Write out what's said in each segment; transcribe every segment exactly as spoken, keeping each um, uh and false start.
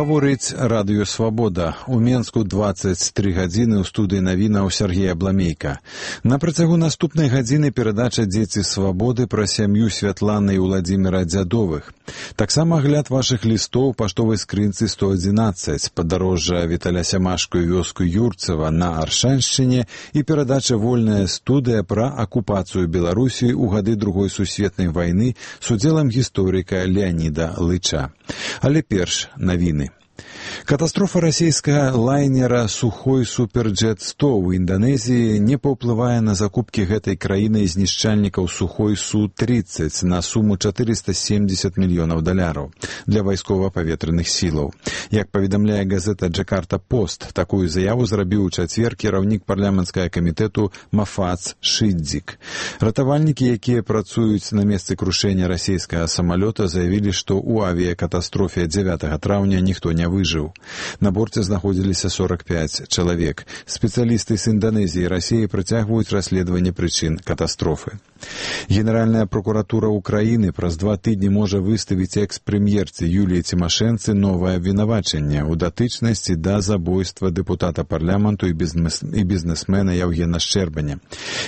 Гаворыць радыё «Свабода». У Менску дваццаць тры гадзіны ў студыі навінаў Сергей Абламейка. На працягу наступнай гадзіны перадача «Дзеці свабоды» пра сям'ю Святланы і Уладзіміра Дзядовых. Таксама агляд вашых лістоў паштовай скрынцы сто адзінаццаць, падарожжа Віталя Сямашку і вёску Юрцева на Аршаншчыне і перадача «Вольная студыя» пра акупацыю Беларусі ў гады Другой сусветнай вайны з удзелам гісторыка Леаніда Лыча. Але перш навіны. Катастрофа расійскага лайнера «Сухой Суперджет сто» ў Інданезіі не паўплывае на закупкі гэтай краіны знішчальнікаў «Сухой Су тридцать» на суму чатырыста семьдесят мільёнаў даляраў для вайскова-паветраных сілаў. Як паведамляе газета «Джакарта Пост», такую заяву зрабіў у чацвер кіраўнік парламенцкага камітэту Мафац Шидзік. Ратавальнікі, якія працуюць на месцы крушэння расійскага самалёта, заявілі, што ў авіякатастрофе дзевятага траўня ніхто не выжыў. На борце знаходзіліся сорок пяць чалавек. Спецыялісты з Інданезіі і Расіі працягваюць расследаванне прычын катастрофы. Генеральная прокуратура Украіны праз два тыдні можа выставіць экс-прэм'ерцы Юліі Цімашэнцы новае абвінавачанне ў датычнасці да забойства дэпутата парламенту і, бізнес... і бізнесмена Яўгена Шчэрбаня.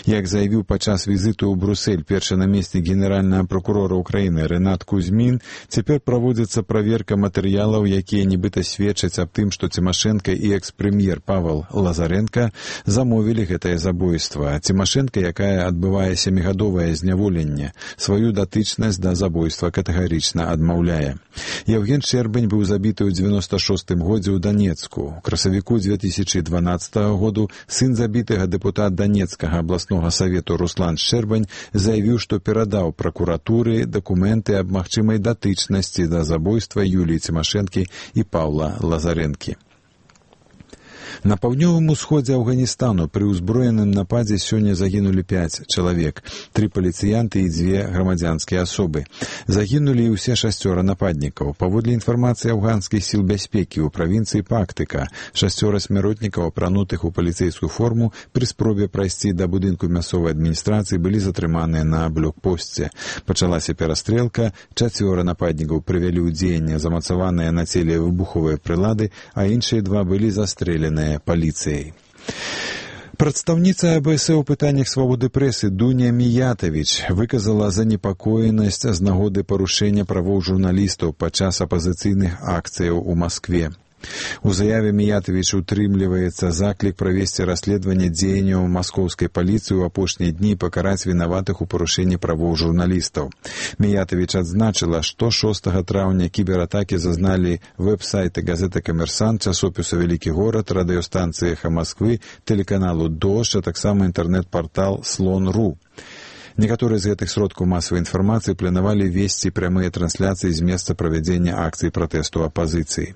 Як заявіў падчас візіту ў Брюссель першы намеснік генеральнага прокурора Украіны Рэнат Кузьмін, цяпер праводзіцца праверка матэрыялаў, якія нібыта сведчаць аб тым, што Цімашэнка і экс-прэм'ер Павел Лазаренка замовілі гэтае забойства. Цімашэнка, якая адбывае сямігадовае зняволенне, сваю датычнасць да забойства катэгарычна адмаўляе. Яўген Шчэрбань быў забіты ў дзевяноста шостым годзе ў Данецку. У красавіку две тысячы дванаццатага году сын забітага дэпутат Данецкага абласнога савету Руслан Шчэрбань заявіў, што перадаў пракуратуры дакументы аб магчымай датычнасці да забойства Юліі Цімашэнкі і Паўла Лазаренкі. На паўднёвым усходзе Афганістану пры ўзброеным нападзе сёння загінулі пяць чалавек, тры паліцыянты і дзве грамадзянскія асобы. Загінулі і ўсе шасцёра нападнікаў. Паводле інфармацыі афганскіх сіл бяспекі ў правінцыі Пактыка, шасцёра смяротнікаў, апранутых у паліцэйскую форму, пры спробе прайсці да будынку мясцовай адміністрацыі былі затрыманыя на блокпосце. Пачалася перастрэлка, чацвёра нападнікаў прывялі ў дзеянне замацаваныя на целе выбуховыя прылады, а іншыя два былі застрэленыя паліцыяй. Прадстаўніца АБС у пытаннях свабоды прэсы Дуня Міятавіч выказала занепакоенасць з нагоды парушэння правоў журналістаў падчас апазіцыйных акцыяў у Маскве. У заяве Міятавіч утрымліваецца заклік правесці расследаванне дзеянняў маскоўскай паліцыі ў апошнія дні і пакараць вінаватых у парушэнні правоў журналістаў. Міятавіч адзначыла, што шостага траўня кібератакі зазналі вэб-сайты газеты «Камерсант», часопісу «Вялікі горад», радыёстанцыі «Эхо Москвы», тэлеканалу «Дождь», а таксама інтэрнэт-партал «Слон.ру». Некаторыя з гэтых сродкаў масавай інфармацыі планавалі весці прямыя трансляцыі з месца правядзення акцый пратэсту апазіцыі.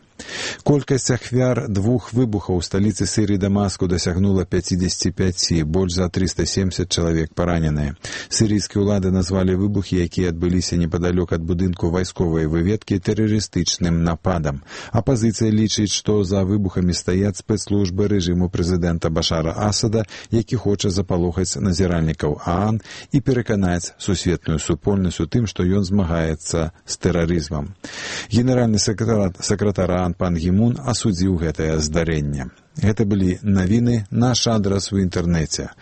Колькасць ахвяр двух выбухаў у сталіцы Сірыі Дамаску дасягнула пяцьдзесят пять, больш за триста семьдесят чалавек параненыя. Сірыйскія ўлады назвалі выбухі, якія адбыліся непадалёк ад будынку вайсковай выведкі, тэрарыстычным нападам. Апазіцыя лічыць, што за выбухамі стаяць спецслужбы рэжыму прэзідэнта Башара Асада, які хоча запалохаць назіральнікаў ААН і пераканаць сусветную супольнасць у тым, што ён змагаецца з тэрарызмам. Генеральны сакратар ААН пан Гімун асудзіў гэтае здарэнне. Гэта былі навіны, наш адрас у інтэрнэце.